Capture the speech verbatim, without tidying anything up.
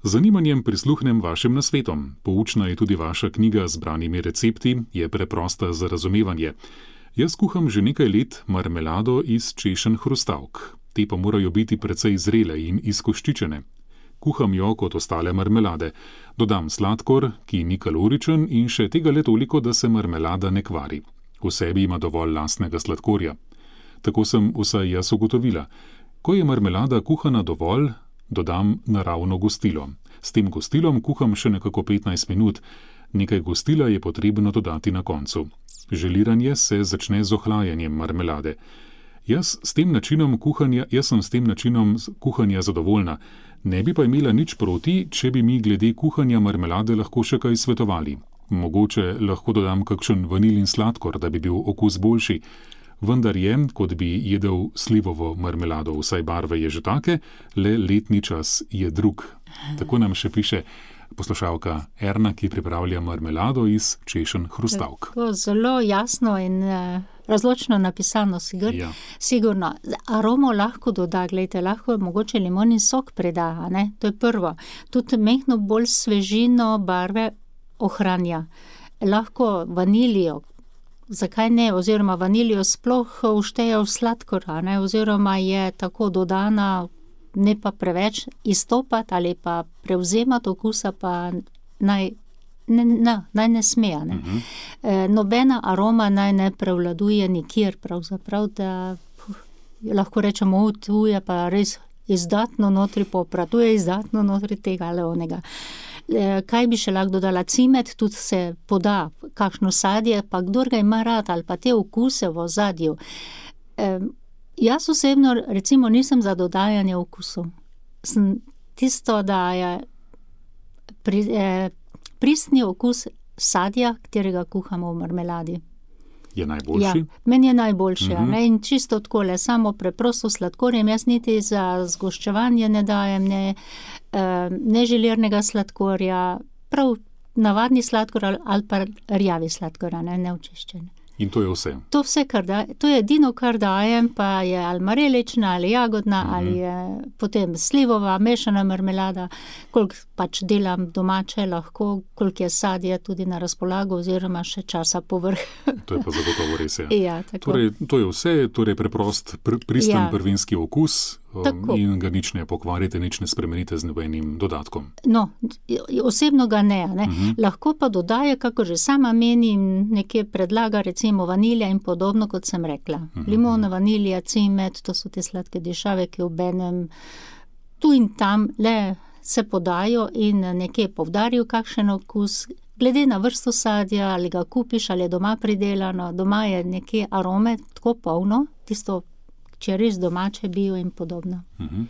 Z zanimanjem prisluhnem vašim nasvetom. Poučna je tudi vaša knjiga z branimi recepti, je preprosta za razumevanje. Jaz kuham že nekaj let marmelado iz češenj hrustavk. Te pa morajo biti precej zrele in izkoščičene. Kuham jo kot ostale marmelade. Dodam sladkor, ki ni kaloričen in še tega le toliko, da se marmelada ne kvari. V sebi ima dovolj lastnega sladkorja. Tako sem vsaj jaz ugotovila. Ko je marmelada kuhana dovolj, dodam naravno gostilo. S tem gostilom kuham še nekako petnajst minut. Nekaj gostila je potrebno dodati na koncu. Želiranje se začne z ohlajanjem marmelade. Jaz, s tem načinom kuhanja, jaz sem s tem načinom kuhanja zadovoljna. Ne bi pa imela nič proti, če bi mi glede kuhanja marmelade lahko še kaj svetovali. Mogoče lahko dodam kakšen vanilin sladkor, da bi bil okus boljši. Vendar je, kot bi jedel slivovo marmelado, vsaj barve je že take, le letni čas je drug. Tako nam še piše poslušalka Erna, ki pripravlja marmelado iz češenj hrustavk. Tako zelo jasno in uh, razločno napisano, sigur, ja. Sigurno. Aromo lahko doda, gledajte, lahko mogoče limonin sok preda, ne? To je prvo. Tudi mehno bolj svežino barve ohranja. Lahko vanilijo, zakaj ne, oziroma vanilijo sploh vštejo v sladkor, ne? Oziroma je tako dodana, ne pa preveč izstopati ali pa prevzemati okusa, pa naj ne, ne, naj ne smeja. Ne? Uh-huh. E, nobena aroma naj ne prevladuje nikjer, pravzaprav, da puh, lahko rečemo, tu je pa res izdatno notri popra, tu je izdatno notri tega ali onega. E, kaj bi še lahko dodala? Cimet tudi se poda, kakšno sadje, pa kdor ga ima rad, ali pa te okuse v ozadju. E, Jaz osebno, recimo, nisem za dodajanje okusov. Sem tisto, da je pri, eh, pristni okus sadja, katerega kuhamo v marmeladi. Je najboljši? Ja, meni je najboljši. Mhm. Ne? In čisto takole, samo preprosto sladkorjem. Jaz niti za zgoščevanje ne dajem, ne, eh, ne želirnega sladkorja, prav navadni sladkor ali, ali pa rjavi sladkor, ne, neočiščen. In to je vse? To vse, kar da, to je edino, kar dajem, pa je ali marelična, ali jagodna, mm-hmm. ali je potem slivova, mešana marmelada, koliko pač delam domače lahko, koliko je sadje tudi na razpolago, oziroma še časa povrh. To je pa zagotovo res, ja. Ja, tako. Torej, to je vse, torej preprost, pr- pristen Ja. prvinski okus um, Tako. in ga nič ne pokvarite, nič ne spremenite z nobenim dodatkom. No, osebno ga ne, ne. Mhm. Lahko pa dodaje, kako že sama menim, nekje predlaga recimo vanilja in podobno, kot sem rekla. Mhm. Limona, vanilija, cimet, to so te sladke dišave, ki obenem tu in tam le se podajo in nekje povdarijo kakšen okus. Glede na vrsto sadja, ali ga kupiš, ali je doma pridelano, doma je nekje arome tako polno, tisto, če res domače bio in podobno. Mhm.